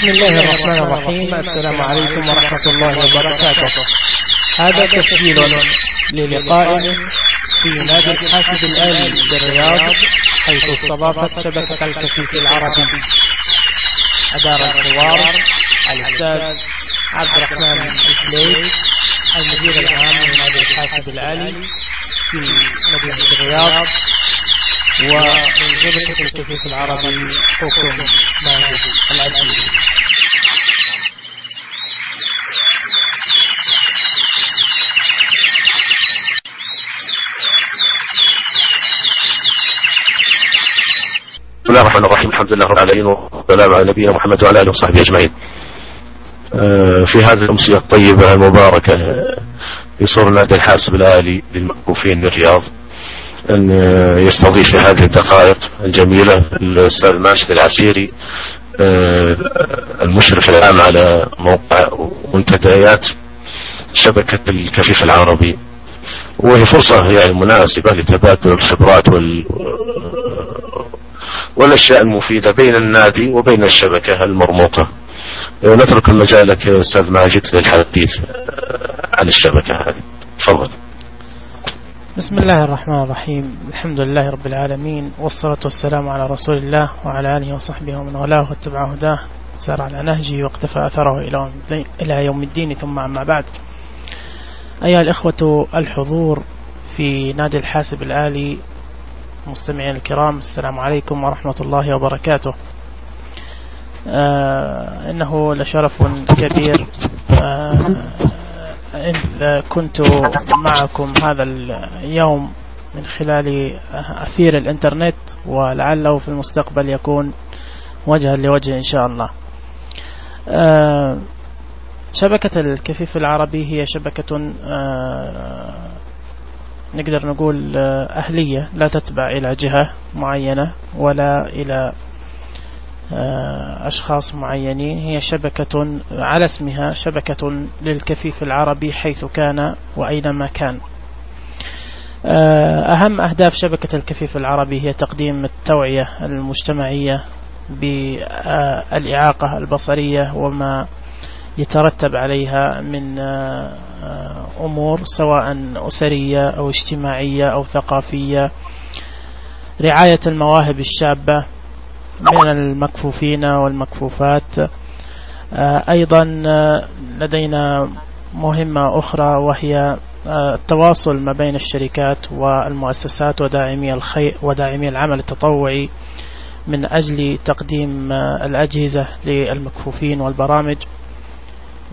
بسم الله الرحمن الرحيم. السلام عليكم ورحمة الله وبركاته. هذا تسجيل للقاء في نادي الحاسب الآلي بالرياض، حيث استضافت شبكة الكفيف العربي. أدار الحوار الأستاذ عبد الرحمن الفليس، المدير العام لنادي الحاسب الآلي في مدينة الرياض، ومن شبكة الكفيف العربي حكم ماجد العزيز. بسم الله الرحمن الرحيم. الحمد لله رب العالمين، والسلام على نبينا محمد وعلى اله وصحبه اجمعين. في هذه الامسيه الطيبه المباركه يصر نادي الحاسب الآلي للمكفوفين بالرياض أن يستضيف في هذه الدقائق الجميلة الأستاذ ماجد العسيري، المشرف العام على موقع ومنتديات شبكة الكفيف العربي، وهي فرصة يعني مناسبة لتبادل الخبرات والأشياء المفيدة بين النادي وبين الشبكة المرموقة. نترك المجال لك أستاذ ماجد للحديث عن الشبكة هذه. تفضل. بسم الله الرحمن الرحيم. الحمد لله رب العالمين، والصلاة والسلام على رسول الله وعلى آله وصحبه ومن والاه واتبع هداه سار على نهجه واقتفى أثره إلى يوم الدين. ثم أما بعد، أيها الإخوة الحضور في نادي الحاسب الآلي، مستمعين الكرام، السلام عليكم ورحمة الله وبركاته. إنه لشرف كبير إذ كنت معكم هذا اليوم من خلال أثير الإنترنت، ولعله في المستقبل يكون وجها لوجه إن شاء الله. شبكة الكفيف العربي هي شبكة نقدر نقول أهلية، لا تتبع إلى جهة معينة ولا إلى أشخاص معينين. هي شبكة على اسمها، شبكة للكفيف العربي حيث كان وأينما كان. أهم أهداف شبكة الكفيف العربي هي تقديم التوعية المجتمعية بالإعاقة البصرية وما يترتب عليها من أمور سواء أسرية أو اجتماعية أو ثقافية، رعاية المواهب الشابة من المكفوفين والمكفوفات. أيضا لدينا مهمة أخرى، وهي التواصل ما بين الشركات والمؤسسات وداعمي العمل التطوعي من أجل تقديم الأجهزة للمكفوفين والبرامج.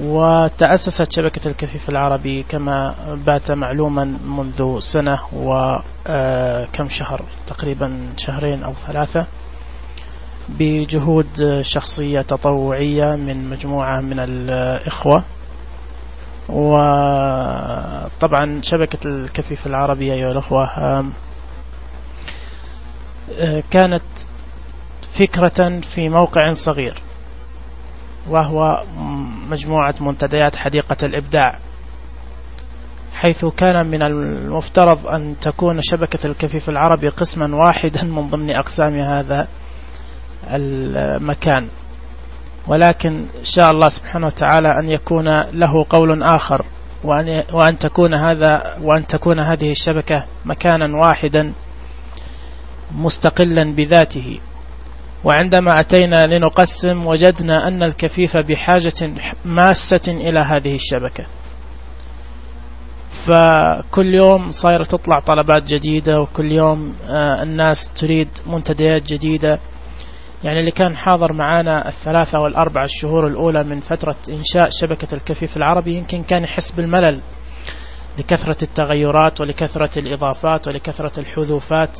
وتأسست شبكة الكفيف العربي كما بات معلوما منذ سنة وكم شهر، تقريبا شهرين أو ثلاثة، بجهود شخصية تطوعية من مجموعة من الإخوة. وطبعا شبكة الكفيف العربي أيها الأخوة كانت فكرة في موقع صغير، وهو مجموعة منتديات حديقة الإبداع، حيث كان من المفترض أن تكون شبكة الكفيف العربي قسما واحدا من ضمن أقسام هذا المكان، ولكن شاء الله سبحانه وتعالى أن يكون له قول آخر، وأن تكون هذه الشبكة مكانا واحدا مستقلا بذاته. وعندما أتينا لنقسم وجدنا أن الكفيف بحاجة ماسة إلى هذه الشبكة، فكل يوم صايرة تطلع طلبات جديدة، وكل يوم الناس تريد منتديات جديدة. يعني اللي كان حاضر معانا 3 و4 الشهور الأولى من فترة إنشاء شبكة الكفيف العربي يمكن كان يحس بالملل لكثرة التغيرات ولكثرة الإضافات ولكثرة الحذوفات.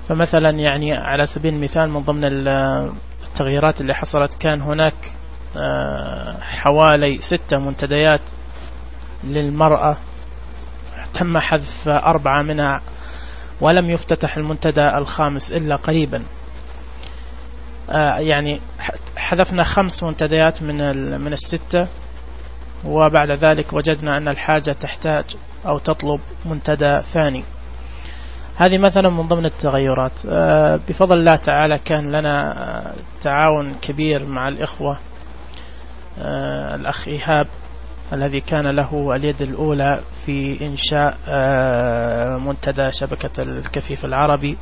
فمثلا يعني على سبيل المثال، من ضمن التغييرات اللي حصلت كان هناك حوالي 6 منتديات للمرأة، تم حذف 4 منها، ولم يفتتح المنتدى الخامس إلا قريبا. يعني حذفنا 5 منتديات من 6، وبعد ذلك وجدنا أن الحاجة تحتاج أو تطلب منتدى ثاني. هذه مثلا من ضمن التغيرات. بفضل الله تعالى كان لنا تعاون كبير مع الإخوة. الأخ إيهاب الذي كان له اليد الأولى في إنشاء منتدى شبكة الكفيف العربي،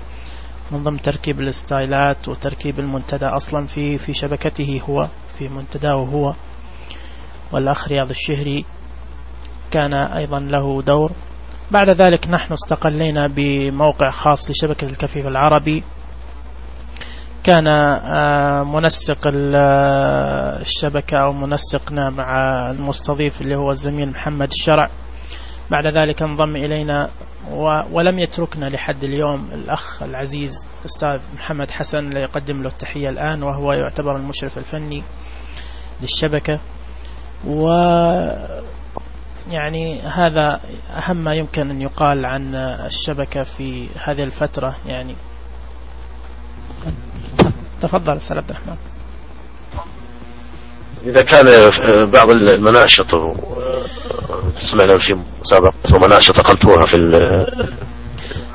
من ضمن تركيب الستايلات وتركيب المنتدى أصلا في شبكته هو، في منتداه هو. والأخ رياض الشهري كان أيضا له دور. بعد ذلك نحن استقلينا بموقع خاص لشبكة الكفيف العربي، كان منسق الشبكة أو منسقنا مع المستضيف اللي هو الزميل محمد الشرع. بعد ذلك انضم إلينا ولم يتركنا لحد اليوم الأخ العزيز الأستاذ محمد حسن، لا يقدم له التحية الآن، وهو يعتبر المشرف الفني للشبكة. يعني هذا أهم ما يمكن أن يقال عن الشبكة في هذه الفترة. يعني تفضل أستاذ عبد الرحمن. إذا كان بعض المناشط سمعنا في مسابقة ومناشط أقمتوها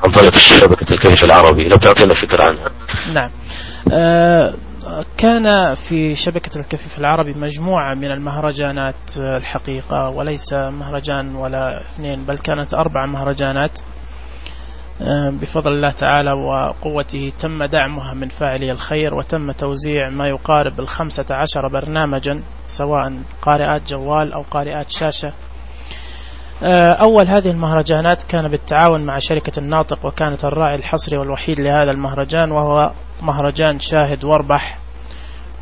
عن طريق شبكة الكفيف العربي، لو تعطينا فكرة عنها. نعم، كان في شبكة الكفيف العربي مجموعة من المهرجانات الحقيقة، وليس مهرجان ولا اثنين، بل كانت 4 مهرجانات بفضل الله تعالى وقوته. تم دعمها من فاعلي الخير، وتم توزيع ما يقارب 15 برنامجا، سواء قارئات جوال أو قارئات شاشة. أول هذه المهرجانات كان بالتعاون مع شركة الناطق، وكانت الراعي الحصري والوحيد لهذا المهرجان، وهو مهرجان شاهد واربح.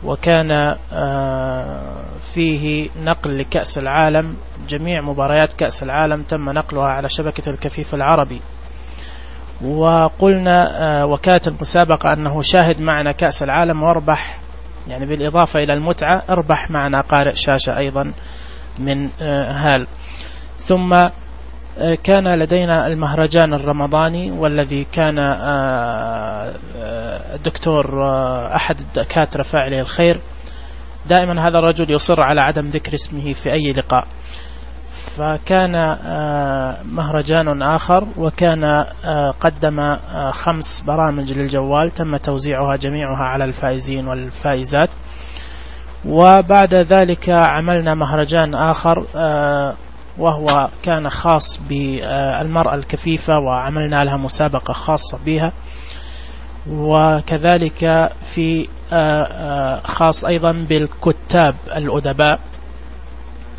وكان فيه نقل لكأس العالم، جميع مباريات كأس العالم تم نقلها على شبكة الكفيف العربي. وقلنا وكانت المسابقة أنه شاهد معنا كأس العالم واربح، يعني بالإضافة إلى المتعة اربح معنا قارئ شاشة أيضا من هال. ثم كان لدينا المهرجان الرمضاني، والذي كان الدكتور أحد الدكاترة فاعلي الخير، دائما هذا الرجل يصر على عدم ذكر اسمه في أي لقاء. فكان مهرجان آخر، وكان قدم 5 برامج للجوال تم توزيعها جميعها على الفائزين والفائزات. وبعد ذلك عملنا مهرجان آخر، وهو كان خاص بالمرأة الكفيفة، وعملنا لها مسابقة خاصة بها. وكذلك في خاص أيضا بالكتاب الأدباء،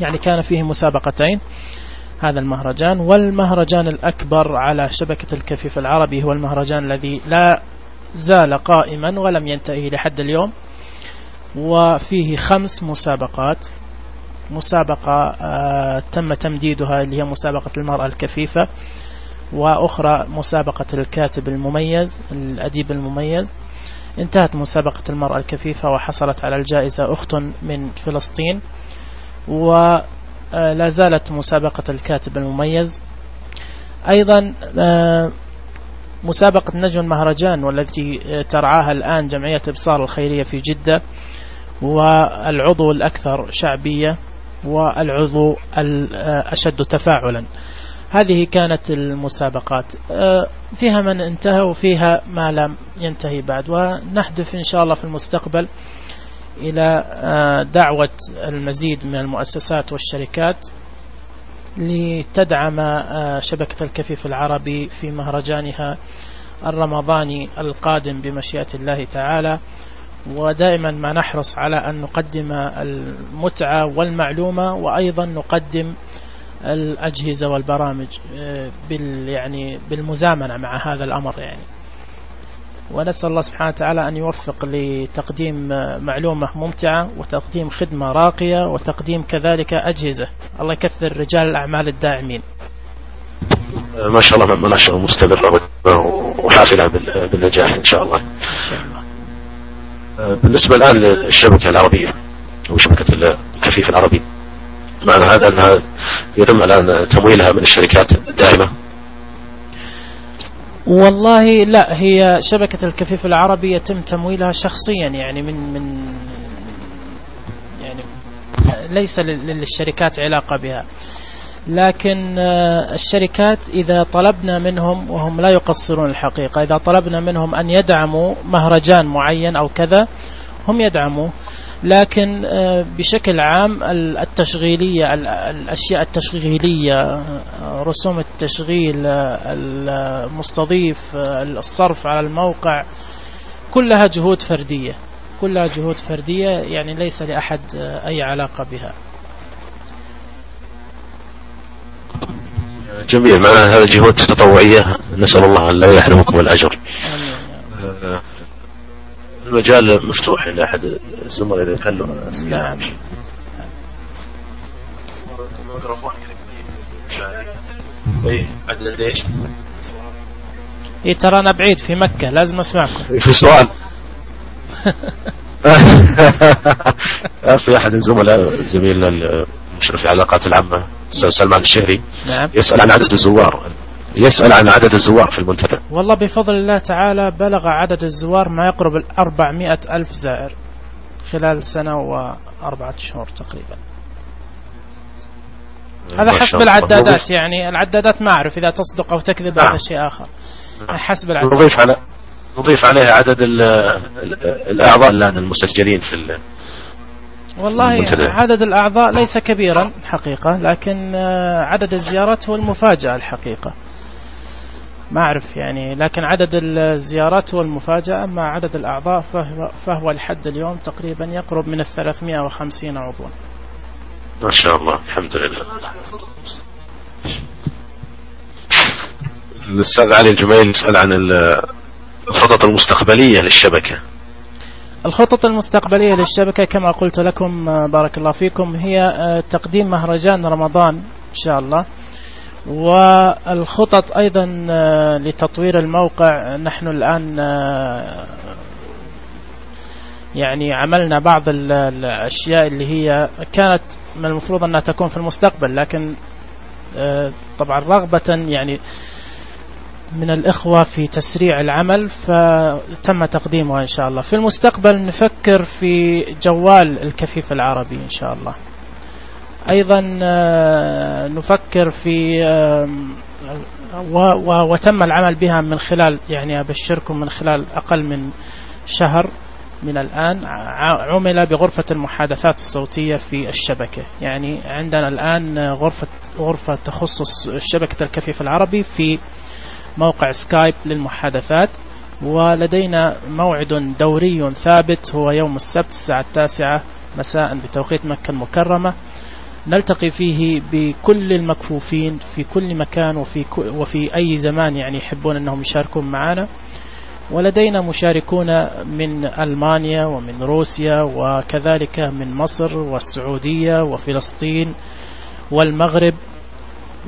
يعني كان فيه مسابقتين هذا المهرجان. والمهرجان الأكبر على شبكة الكفيف العربي هو المهرجان الذي لا زال قائما ولم ينتهي لحد اليوم، وفيه 5 مسابقات. مسابقة تم تمديدها اللي هي مسابقة المرأة الكفيفة، وأخرى مسابقة الكاتب المميز الأديب المميز. انتهت مسابقة المرأة الكفيفة وحصلت على الجائزة أخت من فلسطين، ولا زالت مسابقة الكاتب المميز. أيضا مسابقة نجم المهرجان، والتي ترعاها الآن جمعية إبصار الخيرية في جدة، والعضو الأكثر شعبية والعضو الأشد تفاعلا. هذه كانت المسابقات، فيها من انتهى وفيها ما لم ينتهي بعد. ونحدث إن شاء الله في المستقبل إلى دعوة المزيد من المؤسسات والشركات لتدعم شبكة الكفيف العربي في مهرجانها الرمضاني القادم بمشيئة الله تعالى. ودائما ما نحرص على أن نقدم المتعة والمعلومة، وأيضا نقدم الأجهزة والبرامج يعني بالمزامنة مع هذا الأمر يعني. ونسأل الله سبحانه وتعالى أن يوفق لتقديم معلومة ممتعة، وتقديم خدمة راقية، وتقديم كذلك أجهزة. الله يكثر رجال الأعمال الداعمين. ما شاء الله مناشر مستمرة وحافلة بالنجاح إن شاء الله. بالنسبة الآن للشبكة العربية وشبكة الكفيف العربي، معنى هذا أنها يتم الآن تمويلها من الشركات الدائمة؟ والله لا، هي شبكة الكفيف العربي يتم تمويلها شخصيا، يعني من يعني ليس للشركات علاقة بها. لكن الشركات إذا طلبنا منهم، وهم لا يقصرون الحقيقة، إذا طلبنا منهم أن يدعموا مهرجان معين أو كذا هم يدعموا. لكن بشكل عام التشغيلية، الأشياء التشغيلية، رسوم التشغيل، المستضيف، الصرف على الموقع، كلها جهود فردية، كلها جهود فردية، يعني ليس لأحد أي علاقة بها. جميل. معناها هذا جهود تطوعية، نسأل الله أن لا يحرمكم الأجر. المجال مفتوح لأحد الزملاء إذا كان له أسئلة. نعم. إيه ترى أنا بعيد في مكة، لازم أسمعكم. في سؤال. في أحد الزملاء زميلنا المشرف على العلاقات العامة أستاذ سلمان الشهري. نعم. يسأل عن عدد الزوار، يسأل عن عدد الزوار في المنتدى. والله بفضل الله تعالى بلغ عدد الزوار ما يقرب 400,000 زائر خلال سنة و4 شهور تقريبا. هذا حسب العدادات، يعني العدادات ما أعرف إذا تصدق أو تكذب، هذا شيء آخر. حسب العدادات. نضيف عليها عدد الأعضاء الآن المسجلين في والله المنتدى. عدد الأعضاء ليس كبيرا حقيقة، لكن عدد الزيارات هو المفاجأة الحقيقة. ما أعرف يعني، لكن عدد الزيارات هو المفاجأة. أما عدد الأعضاء فهو لحد اليوم تقريبا يقرب من 350 عضوا. ما شاء الله، الحمد لله. الأستاذ علي الجميل يسأل عن الخطط المستقبلية للشبكة. الخطط المستقبلية للشبكة كما قلت لكم بارك الله فيكم هي تقديم مهرجان رمضان إن شاء الله، والخطط أيضا لتطوير الموقع. نحن الآن يعني عملنا بعض الأشياء اللي هي كانت من المفروض أنها تكون في المستقبل، لكن طبعا رغبة يعني من الإخوة في تسريع العمل فتم تقديمها إن شاء الله. في المستقبل نفكر في جوال الكفيف العربي إن شاء الله. أيضا نفكر في وتم العمل بها من خلال، يعني أبشركم، من خلال أقل من شهر من الآن عمل بغرفة المحادثات الصوتية في الشبكة. يعني عندنا الآن غرفة تخصص شبكة الكفيف العربي في موقع سكايب للمحادثات، ولدينا موعد دوري ثابت هو يوم السبت الساعة 9 مساء بتوقيت مكة المكرمة، نلتقي فيه بكل المكفوفين في كل مكان وفي أي زمان يعني يحبون أنهم يشاركون معنا. ولدينا مشاركون من ألمانيا ومن روسيا وكذلك من مصر والسعودية وفلسطين والمغرب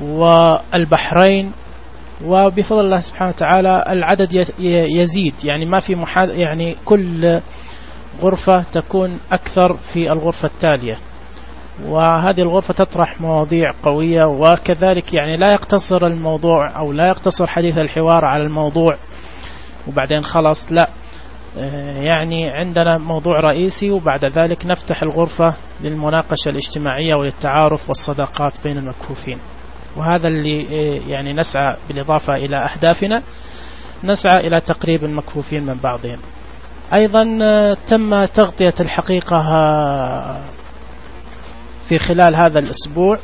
والبحرين، وبفضل الله سبحانه وتعالى العدد يزيد. يعني ما في يعني كل غرفة تكون أكثر في الغرفة التالية، وهذه الغرفة تطرح مواضيع قوية، وكذلك يعني لا يقتصر الموضوع أو لا يقتصر حديث الحوار على الموضوع وبعدين خلاص، لا، يعني عندنا موضوع رئيسي وبعد ذلك نفتح الغرفة للمناقشة الاجتماعية وللتعارف والصداقات بين المكفوفين. وهذا اللي يعني نسعى بالإضافة إلى أهدافنا، نسعى إلى تقريب المكفوفين من بعضهم. أيضا تم تغطية الحقيقة في خلال هذا الأسبوع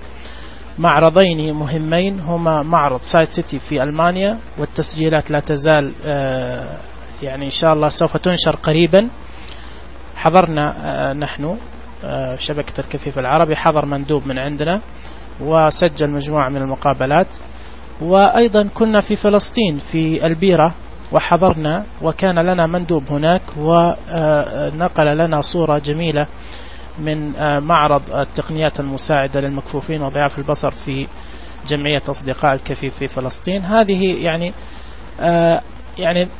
معرضين مهمين، هما معرض سايد سيتي في ألمانيا، والتسجيلات لا تزال يعني إن شاء الله سوف تنشر قريبا. حضرنا نحن شبكة الكفيف العربي، حضر مندوب من عندنا وسجل مجموعة من المقابلات. وأيضا كنا في فلسطين في البيرة وحضرنا، وكان لنا مندوب هناك ونقل لنا صورة جميلة من معرض التقنيات المساعدة للمكفوفين وضعاف البصر في جمعية أصدقاء الكفيف في فلسطين. هذه يعني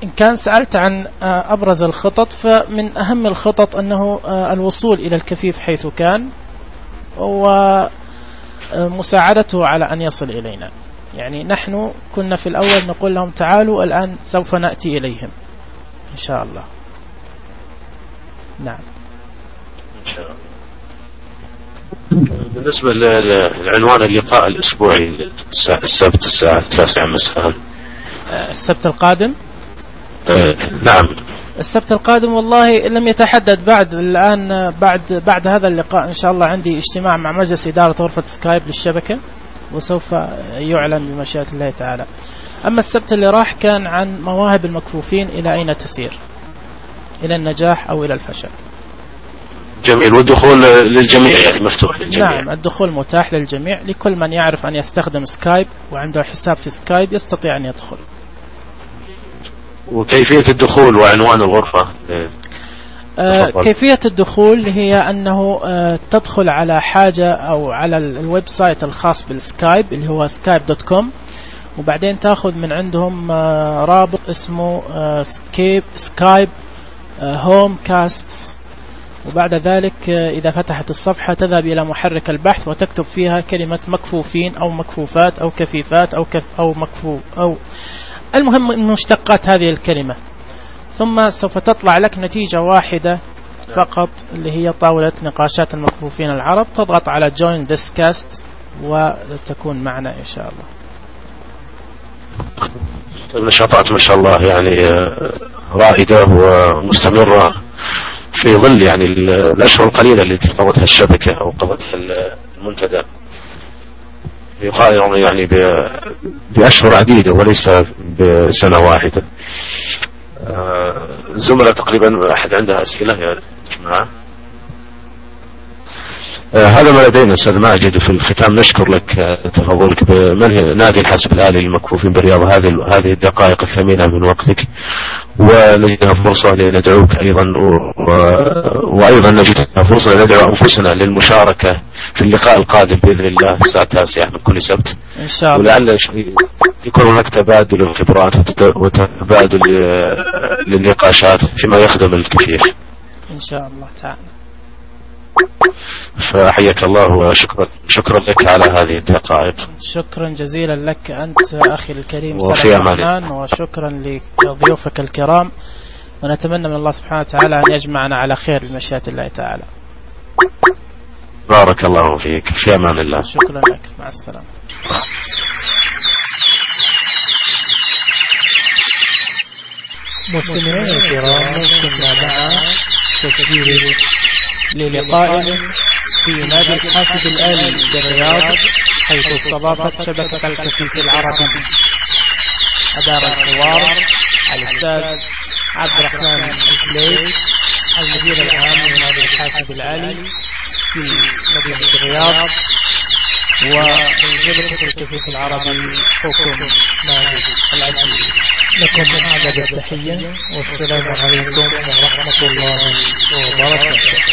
إن كان سألت عن أبرز الخطط، فمن أهم الخطط أنه الوصول إلى الكفيف حيث كان ومساعدته على أن يصل إلينا. يعني نحن كنا في الأول نقول لهم تعالوا، الآن سوف نأتي إليهم إن شاء الله. نعم إن شاء الله. بالنسبة لعنوان اللقاء الأسبوعي السبت الساعة 9 مساء. السبت القادم؟ نعم السبت القادم والله لم يتحدد بعد الآن. بعد هذا اللقاء إن شاء الله عندي اجتماع مع مجلس إدارة غرفة سكايب للشبكة، وسوف يعلن بمشيئة الله تعالى. أما السبت اللي راح كان عن مواهب المكفوفين إلى أين تسير، إلى النجاح أو إلى الفشل. جميل. والدخول للجميع يعني مفتوح للجميع؟ نعم الدخول متاح للجميع، لكل من يعرف أن يستخدم سكايب وعنده حساب في سكايب يستطيع أن يدخل. وكيفية الدخول وعنوان الغرفة؟ كيفية الدخول هي أنه تدخل على حاجة أو على الويب سايت الخاص بالسكايب اللي هو skype.com، وبعدين تأخذ من عندهم رابط اسمه سكايب هوم كاستس، وبعد ذلك إذا فتحت الصفحة تذهب إلى محرك البحث وتكتب فيها كلمة مكفوفين أو مكفوفات أو كفيفات أو مكفوف أو المهم مشتقات هذه الكلمة، ثم سوف تطلع لك نتيجة واحدة فقط اللي هي طاولة نقاشات المكفوفين العرب. تضغط على Join this cast وتكون معنا إن شاء الله. النشاطات ما شاء الله يعني رائدة ومستمرة في ظل يعني الأشهر القليلة التي قضتها الشبكة أو قضتها المنتدى، يقارن يعني بأشهر عديدة وليس بسنة واحدة. زملاء تقريبا أحد عنده أسئلة يا جماعة؟ هذا ما لدينا أستاذ ماجد. في الختام نشكر لك تفضلك بمنهج نادي الحاسب الآلي للمكفوفين بالرياض هذه الدقائق الثمينة من وقتك، ونجدها فرصة لندعوك أيضا وأيضا نجدها فرصة لندعو أنفسنا للمشاركة في اللقاء القادم بإذن الله الساعة 9 من كل سبت إن شاء الله، ولعل يكون هناك تبادل الخبرات وتبادل للنقاشات فيما يخدم الكفيف إن شاء الله تعالى. فحياك الله وشكرا لك على هذه الدقائق. شكرا جزيلا لك أنت أخي الكريم وفي سلام، وشكرا لضيوفك الكرام، ونتمنى من الله سبحانه وتعالى أن يجمعنا على خير بمشيئة الله تعالى. بارك الله فيك، في أمان الله. شكرا لك، مع السلامة. مستمعينا الكرام، كنا مع تسجيل للقاء في نادي الحاسب الآلي بالرياض، حيث استضافت شبكة الكفيف العربي. أدار الحوار الأستاذ عبد الرحمن الفليس، المدير العام لنادي الحاسب الآلي في مدينة الرياض، ومن شبكة الكفيف العربي حكم ماجد العسيري. لكم أعداد التحية، والسلام عليكم ورحمة الله وبركاته.